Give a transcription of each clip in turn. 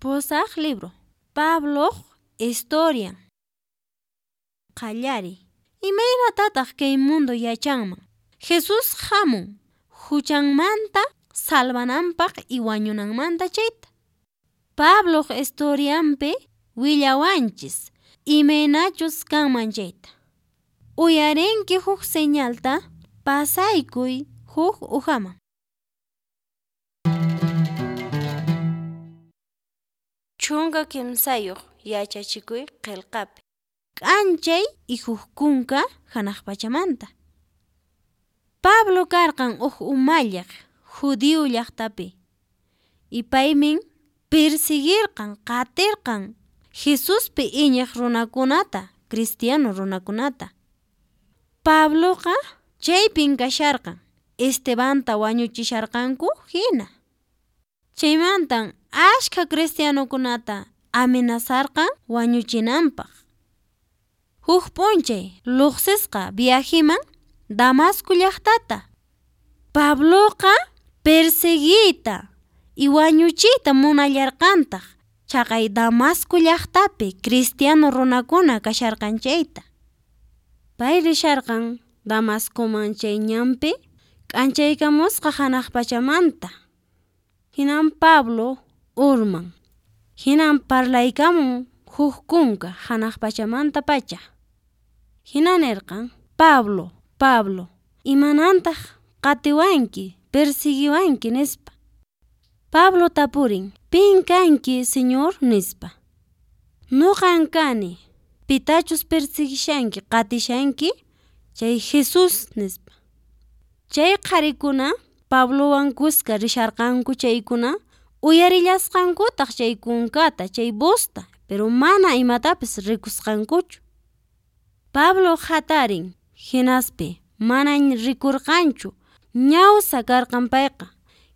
Pusaq libro. Pabloq historian. Qallariy. Imaynatataq kay mundo yachanman? Jesús hamun huchanmanta salvananpaq y wañunanmanta chayta. Pabloq historianpi willawanchis imaynachus kanman chayta. Uyarinki huk señalta, pasaykuy huk ujaman. 13 yachachikuy qelqapi. K'anchay y huk kunka hanaq pachamanta. Pablo karqan huk umalliq judío llaqtapi y paymin persiguirqan qatirqan Jesuspi iñiq runakunata, cristiano runakunata. Pabloqa chaypin kasharqan Estebanta wañuchisharqanku hina. Chaymantan askha cristianokunata amenazarqan wañuchinanpaq. Huk p'unchay lloqsisqa viajeman Damasco llaqtata. Pabloqa perseguiyta y wañuchiyta munallarqantaq chaqay Damasco llaqtapi cristiano runakuna kasharqan chayta. Pay risharqan Damascoman chay ñanpi k'anchaykamusqa hanaq pachamanta. Hinan Pablo urman. Hinan parlaykamun huk kunka hanaq pachamantapacha. Hina nirqan: Pablo, Pablo, imanantaq qatiwanki, persiguiwanki, nispa. Pablo tapurin: Pin kanki, Señor? nispa. Noqan kani, pitachus persiguishanki, qatishanki, chay Jesús, nispa. Chay qharikuna Pablowan kuska risharqanku chaykuna uyarillasqankutaq chay kunkata, chay vozta, pero mana imatapis rikusqankuchu. Pablo hatarin, hinaspi mana rikurqanchu, ñawsa karqan payqa.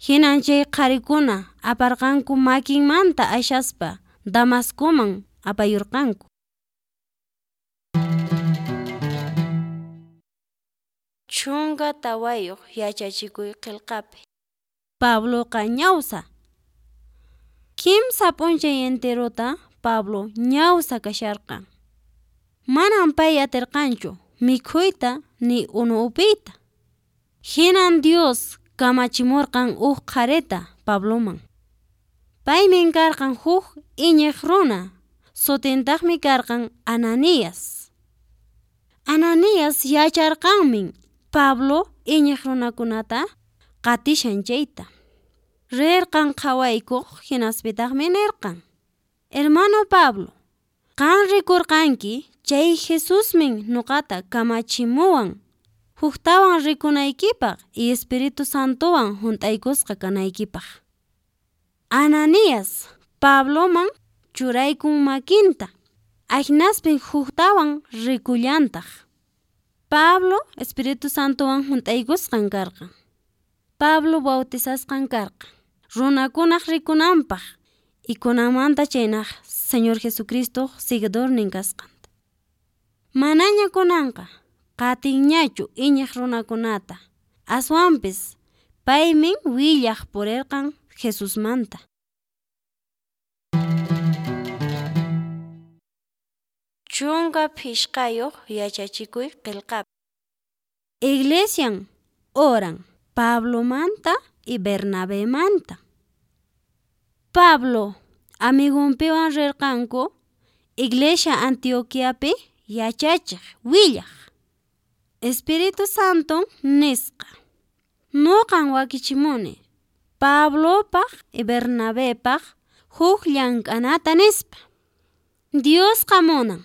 Hinan chay qharikuna aparqanku makinmanta ashaspa Damascoman apayurqanku. 14 yachachikuy qelqapi. Pabloqa ñawsa. Kimsa p'unchay enterota Pablo ñawsa kasharqan. Manan pay atirqanchu mikhuyta ni unu upiyta. Hinan Dios kamachimurqan huk qharita Pabloman. Paymin karqan huk iñiq runa, sutintaqmi karqan Ananías. Ananías yacharqanmin Pablo iñiq runakunata qatishan chayta. Rirqan qhawaykuq hinaspitaqmi nirqan: Hermano Pablo, qan rikurqanki chay Jesusmin noqata kamachimuwan huktawan rikunaykipaq y Espíritu Santowan hunt'aykusqa kanaykipaq. Ananías Pabloman churaykun makinta, ahinaspin huktawan rikullantaq. Pablo Espíritu Santowan hunt'aykusqan karqan. Pablo bautizasqan karqan runakunaq rikunanpaq y kunanmanta chaynaq Señor Jesucristoq seguidornin kasqanta. Manaña kunanqa qatinñachu iñiq runakunata, aswanpis paymin willaq purirqan Jesusmanta. 15 yachachikuy qelqapi. Iglesian oran Pablomanta y Bernabemanta. Pablo amigonpiwan rirqanku iglesia Antioquiapi yachachiq willaq. Espíritu Santon nisqa: Noqan wakichimuni Pablopaq y Bernabepaq huk llank'anata nispa. Diosqa munan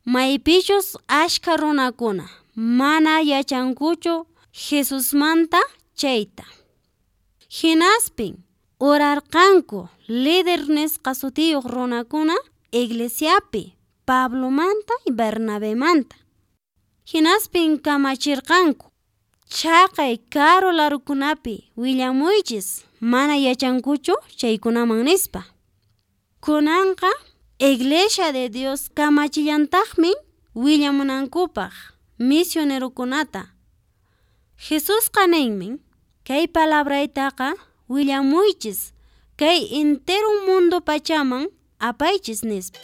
maypichus askha runakuna mana yachankuchu Jesusmanta chayta. Hinaspin orarqanku líder nisqa sutiyuq runakuna iglesiapi Pablomanta y Bernabemanta. Hinaspin kamachirqanku: Chaqay karu larukunapi willamuychis mana yachankuchu chaykunaman nispa. Kunanqa Iglesia de Dios kamachillantaqmi willamunankupaq misionerokunata. Jesusqa ninmi: Kay palabraytaqa willamuychis Kay entero mundo pachaman apaychis nispa.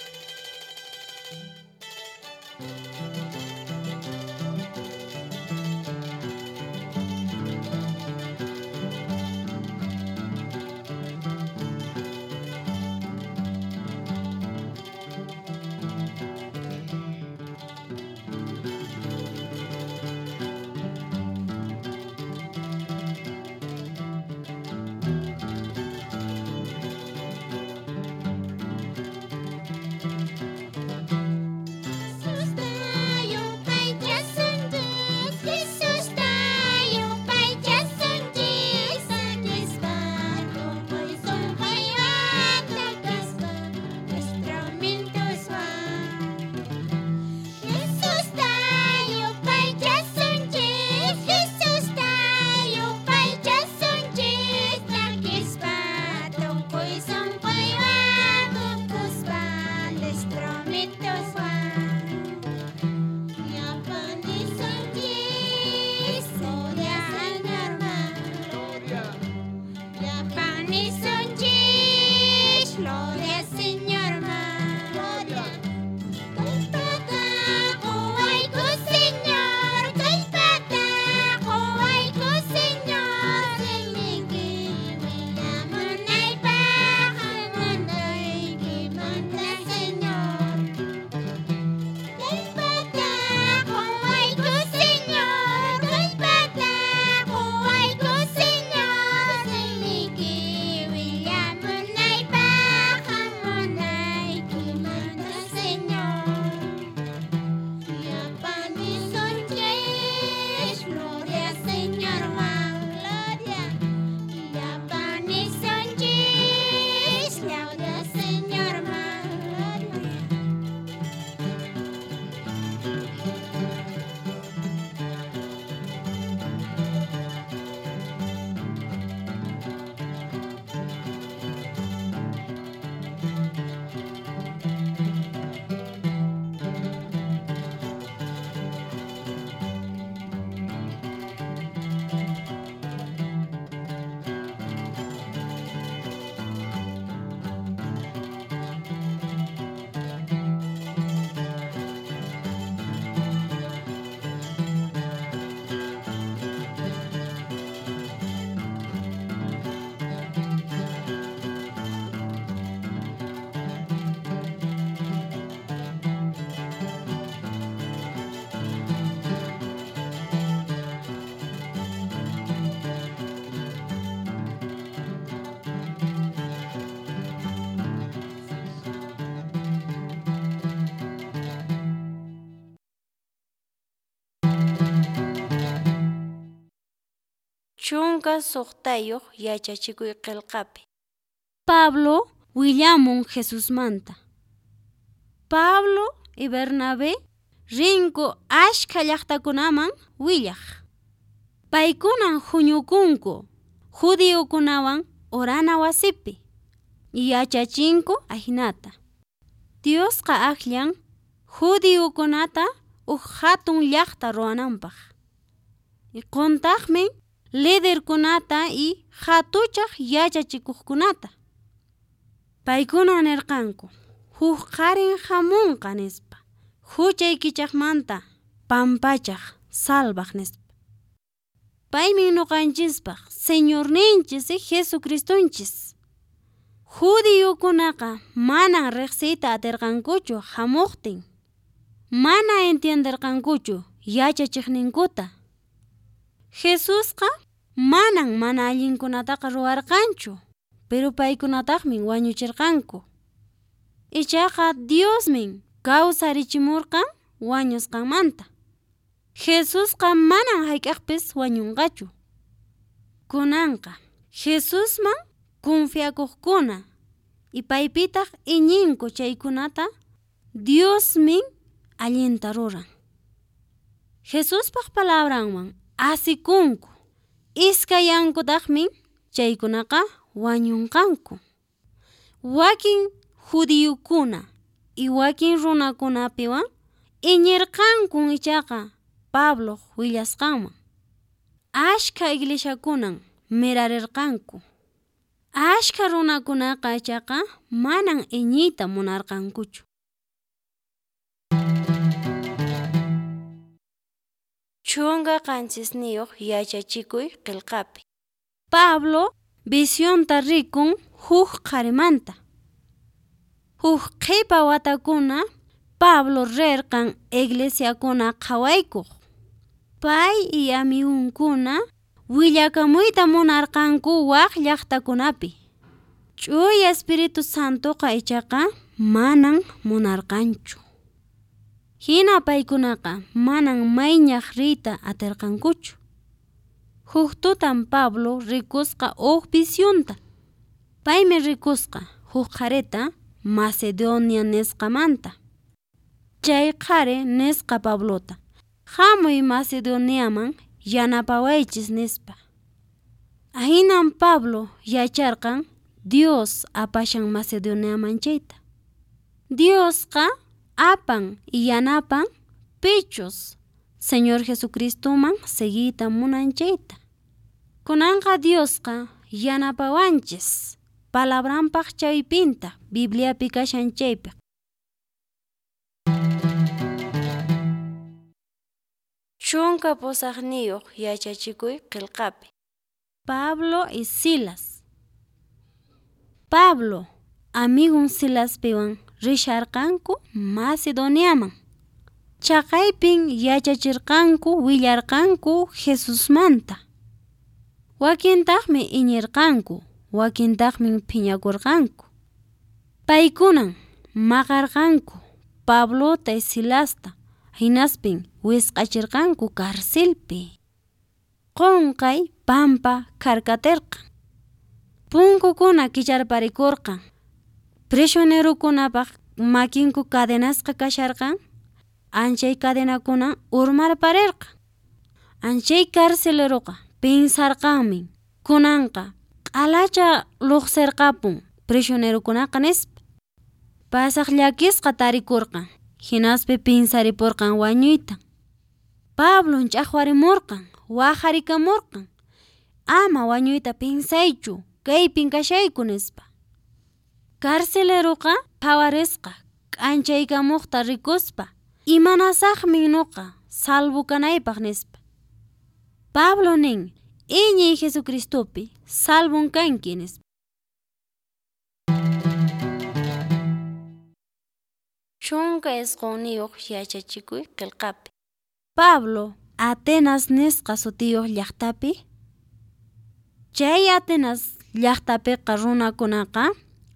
16 yachachikuy qelqapi. Pablo willamun Jesusmanta. Pablo y Bernabé rinku askha llaqtakunaman willaq. Paykunan huñukunku judiokunawan orana wasipi. Yachachinku ahinata. Diosqa akllan judiokunata huk hatun llaqta ruwananpaq. Qontaqmi liderkunata y hatuchaq yachachikuqkunata. Paykuna nirqanku huk qarin hamunqa nispa, huchaykichaqmanta pampachaq salvaq nispa. Paymi ñuqanchispaq Señorninchis y Jesucristonchis. Judiokunaqa manan riqsiyta atirqankuchu hamuqtin. Mana entienderqankuchu yachachiqninkuta. Jesusqa manan mana allinkunataqa ruwarqanchu, pero paykunataqmi wañuchirqanku. Ichaqa Diosmin kawsarichimurqan wañusqanmanta. Jesusqa manan hayk'aqpis wañunqachu. Kunanqa Jesusman confiakuqkuna y paypitaq iñinku chaykunata Diosmin allinta ruran. Jesuspaq palabranwan asikunku, iskayankutaqmi chaykunaqa wañunqanku. Wakin judíokuna y wakin runakunapiwan iñirqankun ichaqa Pabloq willasqanman. Ashkha iglesiakunan mirarirqanku. Askha runakunaqa ichaqa manan iñiyta munarqankuchu. 17 yachachikuy qelqapi. Pablo visionta rikun huk qharimanta. Huk qhepa watakuna Pablo rirqan iglesiakuna qhawaykuq. Pay y amigunkuna willakamuyta munarqanku wak llaqtakunapi. Ch'uya Espíritu Santoqa ichaqa manan munarqanchu. Hina paykunaqa manan mayñaq riyta atirqankuchu. Huk tutan Pablo rikusqa huk visionta. Paymi rikusqa huk qharita Macedonia nisqamanta. Chay qhari nisqa Pablota: Hamuy Macedoniaman yanapawaychis, nispa. Ahinan Pablo yacharqan Dios apashan Macedoniaman chayta. Diosqa apan y yanapan pichus Señor Jesucristoman seguiyta munan chayta. Kunanqa Diosqa yanapawanchis palabranpaq chaypinta Bibliapi kashan chaypi. 18 yachachikuy qelqapi. Pablo y Silas. Pablo amigon Silaspiwan risharqanku Macedoniaman. Chaqaypin yachachirqanku willarqanku Jesusmanta. Wakintaqmi iñirqanku, wakintaqmi phiñakurqanku. Paykunan maqarqanku Pablota y Silasta, hinaspin wisq'achirqanku carcelpi. Qonqay pampa kharkatirqan. Punkukuna kicharparikurqan. Prisionerokunapaq makinku cadenasqa kasharqan, anchay cadenakuna urmarparirqan. Anchay carceleroqa pensarqanmi kunanqa q'alacha luqsirqapun prisionerokunaqa nispa. Pasaq llakisqa tarikurqan, hinaspa pensaripurqan wañuyta. Pablon ch'aqwarimurqan, waqarikamurqan: Ama wañuyta pensaychu, kaypin kashayku, nispa. Carceleroqa phawarisqa k'anchaykamuqta rikuspa, imanasaqmi nuqa salvo kanaypaq, nispa. Pablo nin: Iñiy Jesucristopi, salvon kanki, nispa. 19 yachachikuy qelqapi. Pablo Atenas nisqa sutiyuq llaqtapi. Chay Atenas llaqtapiqa runakunaqa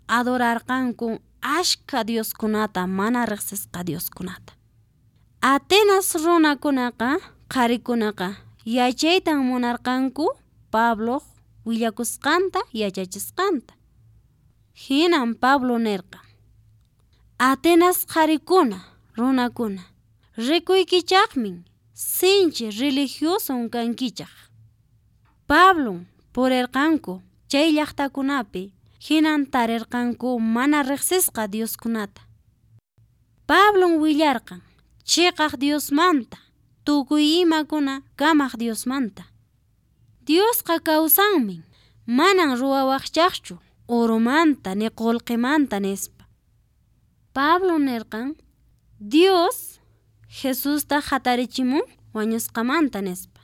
adorarqanku askha dioskunata, mana riqsisqa dioskunata. Atenas runakunaqa, qharikunaqa yachaytan munarqanku Pabloq willakusqanta, yachachisqanta. Hinan Pablo nirqan: Atenas qharikuna, runakuna, rikuykichaqmin sinchi religioson kankichaq. Pablon purirqanku chay llaqtakunapi, hinan tarirqanku mana riqsisqa dioskunata. Pablon willarqan cheqaq Diosmanta, tukuy imakuna kamaq Diosmanta. Diosqa kawsanmin, manan ruwawaqchaqchu oromanta ni qolqemanta, nispa. Pablo nirqan: Dios Jesusta hatarichimun wañusqamanta, nispa.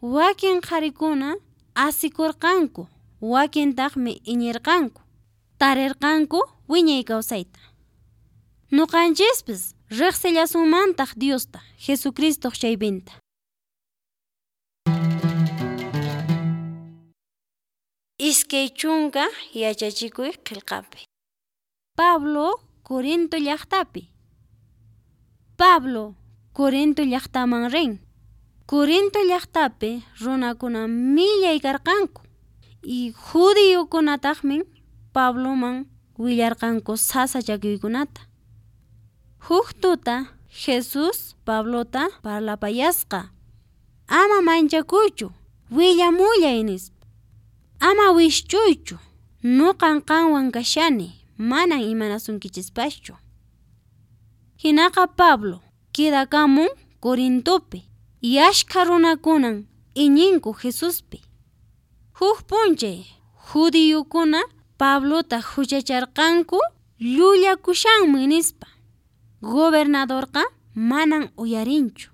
Wakin qharikuna asikurqanku, wakintaqmi iñirqanku, tarirqanku wiñay kawsayta. Nuqanchispis riqsillasunmantaq Diosta, Jesucristoq chaypinta. 20 yachachikuy qelqapi. Pablo Corinto llaqtapi. Pablo Corinto llaqtaman rin. Corinto llaqtapi runakuna millay karqanku y judiokunataqmi Pabloman willarqanku sasachakuykunata. Huk tuta Jesús Pablota parlapayasqa: Ama manchakuychu, willamullay, nispa. Ama wishchuychu, nuqan qanwan kashani, manan imanasunkichispachu. Hinaqa Pablo quedakamun Corintopi, y askha runakunan iñinku Jesuspi. Huk p'unchay Judiyukuna Pablota huchacharqanku llullakushanmi nispa. Gobernadorqa manan uyarinchu.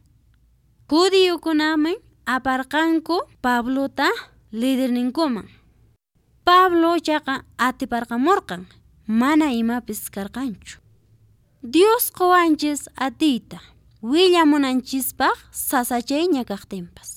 Judiyukunami aparqanku Pablota liderninkuman. Pablo ichaqa atiparqamurqan, mana imapis karqanchu. Dios qowanchis atiyta willamunanchispaq sasachayña kaqtinpas.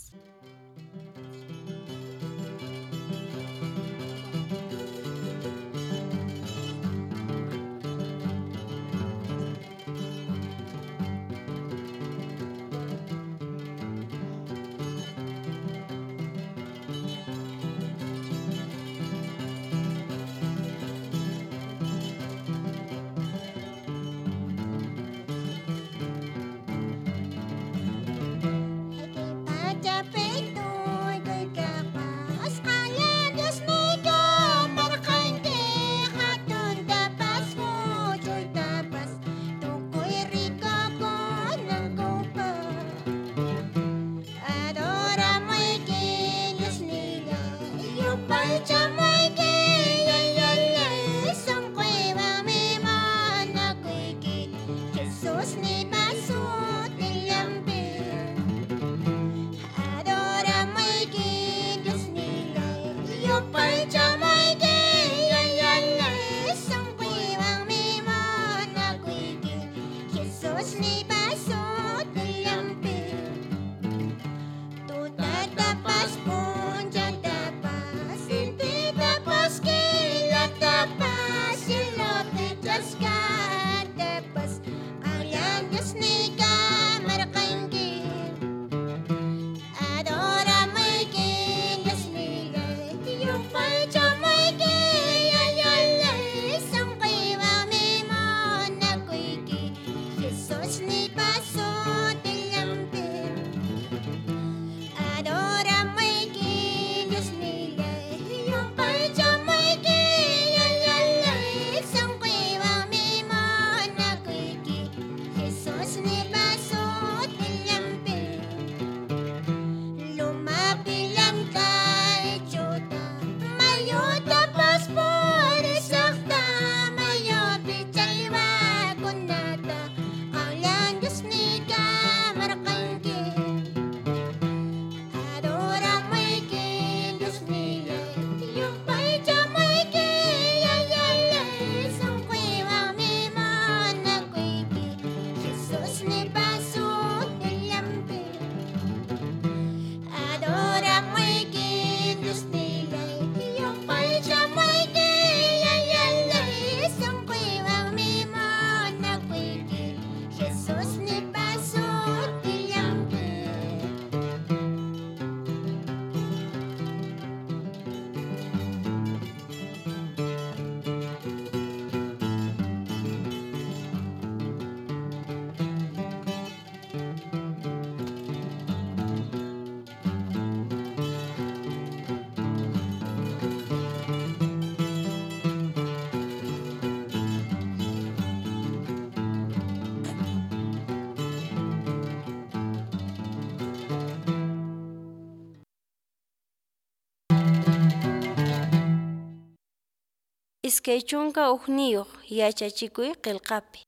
21 yachachikuy qillqapi.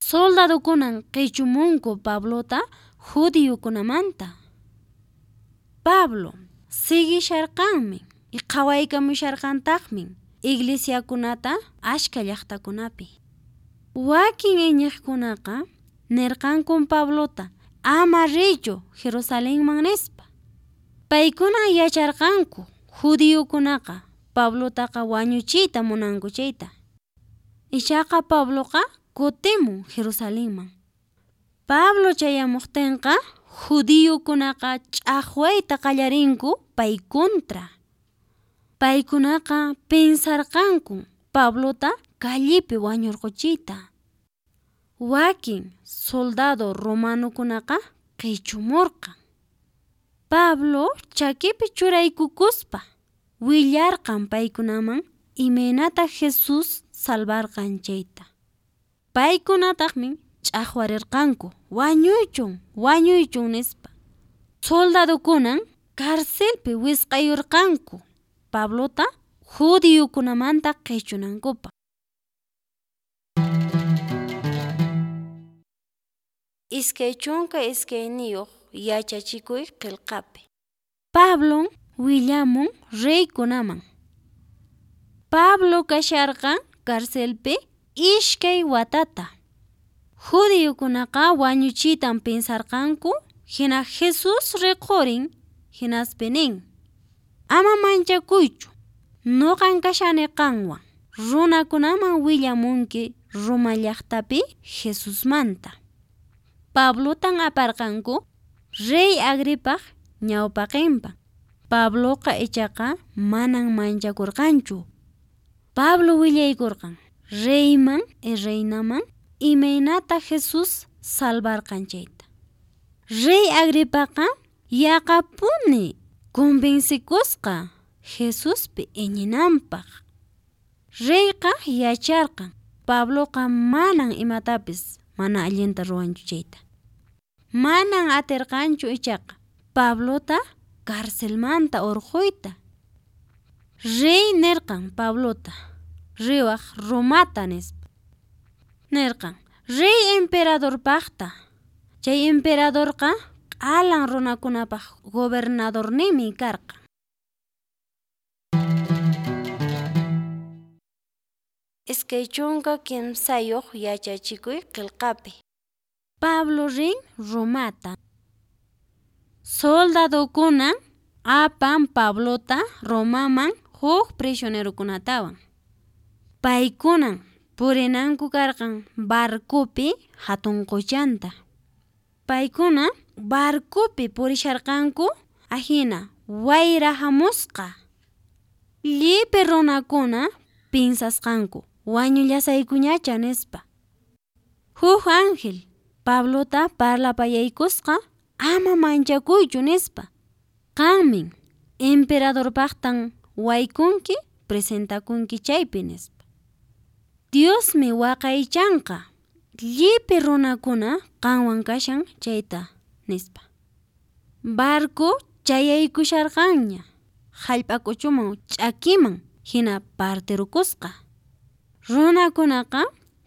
Soldadokunan qichumunku Pablota judiyukunamanta. Pablo siguisharqanmi y qhawaykamusharqantaqmi iglesiakunata ashka llaqtakunapi. Wakin iñiqkunaqa nirqankun Pablota ama riychu Jerusalenman nispa. Paykunan yacharqanku judiyukunaqa Pablotaqa wañuchiyta munanku chayta. Ichaqa Pabloqa kutimun Jerusalenman. Pablo chayamuqtinqa judiyukunaqa ch'aqwayta qallarinku pay contra. Paykunaqa pensarqanku Pablota callepi wañurquchiyta. Wakin soldado romanokunaqa qichumurqan. Pablo chakipi churaykukuspa willarqan paykunaman imaynata Jesús salvarqan chayta. Paykunataqmi ch'aqwarirqanku wañuychun wañuychun nispa. Soldadokunan carcelpi wisq'ayurqanku Pablota judiokunamanta qechunankupaq. 22 yachachikuy qelqapi. Pablon willamun reykunaman. Pablo kasharqan carcelpi 2 watata. Judiokunaqa wañuchiytan pensarqanku, hina Jesús riqhurin, hinaspi nin: Ama manchakuychu, noqan kashani qanwan, runakunaman willamunki Roma llaqtapi Jesusmanta. Pablotan aparqanku rey Agripaq ñawpaqenpan. Pabloqa ichaqa manan manchakurqanchu. Pablo willaykurqan reyman y reinaman imaynata Jesús salvarqan chayta. Rey Agripaqa yaqapuni convencekusqa Jesuspi iñinanpaq. Reyqa yacharqan Pabloqa manan imatapis mana allinta ruwanchu chayta. Manan atirqanchu ichaqa Pablota carcelmanta orqhoyta. Rey nirqan Pablota riwaq Romata nispa. Nirqan rey emperadorpaqta. Chay emperadorqa q'alan runakunapaq gobernadorninmi karqan. 23 yachachikuy qelqapi. Pablo rin Romata. Soldadokunan apan Pablota Romaman huk prisionerokunatawan. Paykunan purinanku karqan barcopi hatun qochanta. Paykuna barcopi purisharqanku ahina wayra hamusqa. Llipi runakuna pinsasqanku wañullasaykuñacha nispa. Huk ángel Pablota parlapayaykusqa ama manchakuychu nispa. Qanmin emperadorpaqtan waykunki presentakunki chaypi nispa. Diosmi waqaychanqa llipi runakuna qanwan kashan chayta nispa. Barco chayaykusharqanña hallp'a k'uchuman ch'akiman hina partirukusqa. Runakunaqa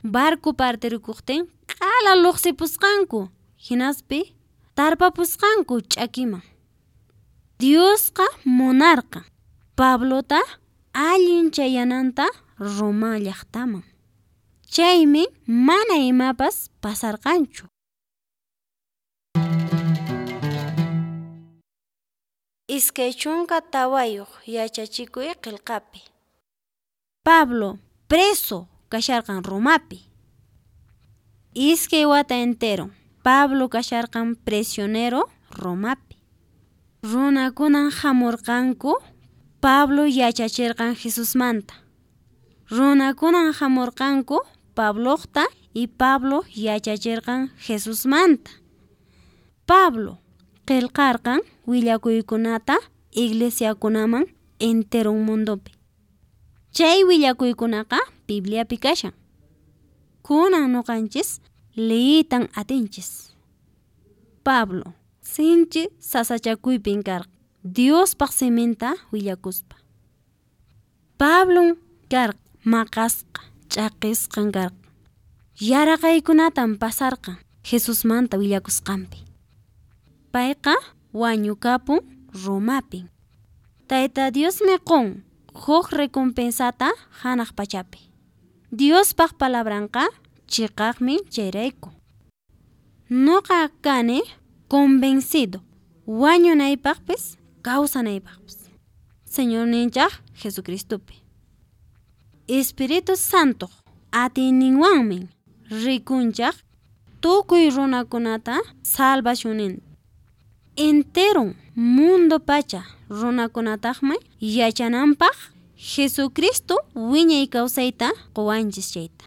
barco partirukuqtin q'ala luqsipusqanku hinaspi tarpapusqanku ch'akiman. Diosqa munarqan Pablota allin chayananta Roma llaqtaman. Chaymi mana imapas pasarqanchu. 24 yachachikuy qelqapi. Pablo preso kasharqan Romapi. 2 wata entero Pablo kasharqan prisionero Romapi. Runakunan hamurqanku Pablo yachachirqan Jesusmanta. Runakunan hamurqanku Pabloqta y Pablo yachachirqan Jesusmanta. Pablo qelqarqan willakuykunata iglesiakunaman entero mundopi. Chay willakuykunaqa Bibliapi kashan. Kunan noqanchis leyitan atinchis. Pablo sinchi sasachakuypin karqan Diospaq siminta willakuspa. Pablon karqan maqasqa ch'aqisqan karqan. Yaraqaykunatan pasarqan Jesusmanta willakusqanpi. Payqa wañukapun Romapin. Tayta Diosmi qun huk recompensata hanaq pachapi. Diospaq palabranqa chiqaqmi chayrayku. Noqa kani convencido wañunaypaqpis kawsanaypaqpis Señorninchaq Jesucristopi. Espíritu Santo atiyninwanmi rikunchaq tukuy runakunata salvacionninta. Entero mundo pacha runakunataqmi yachananpaq Jesucristo wiñay kawsayta quwanchis chayta.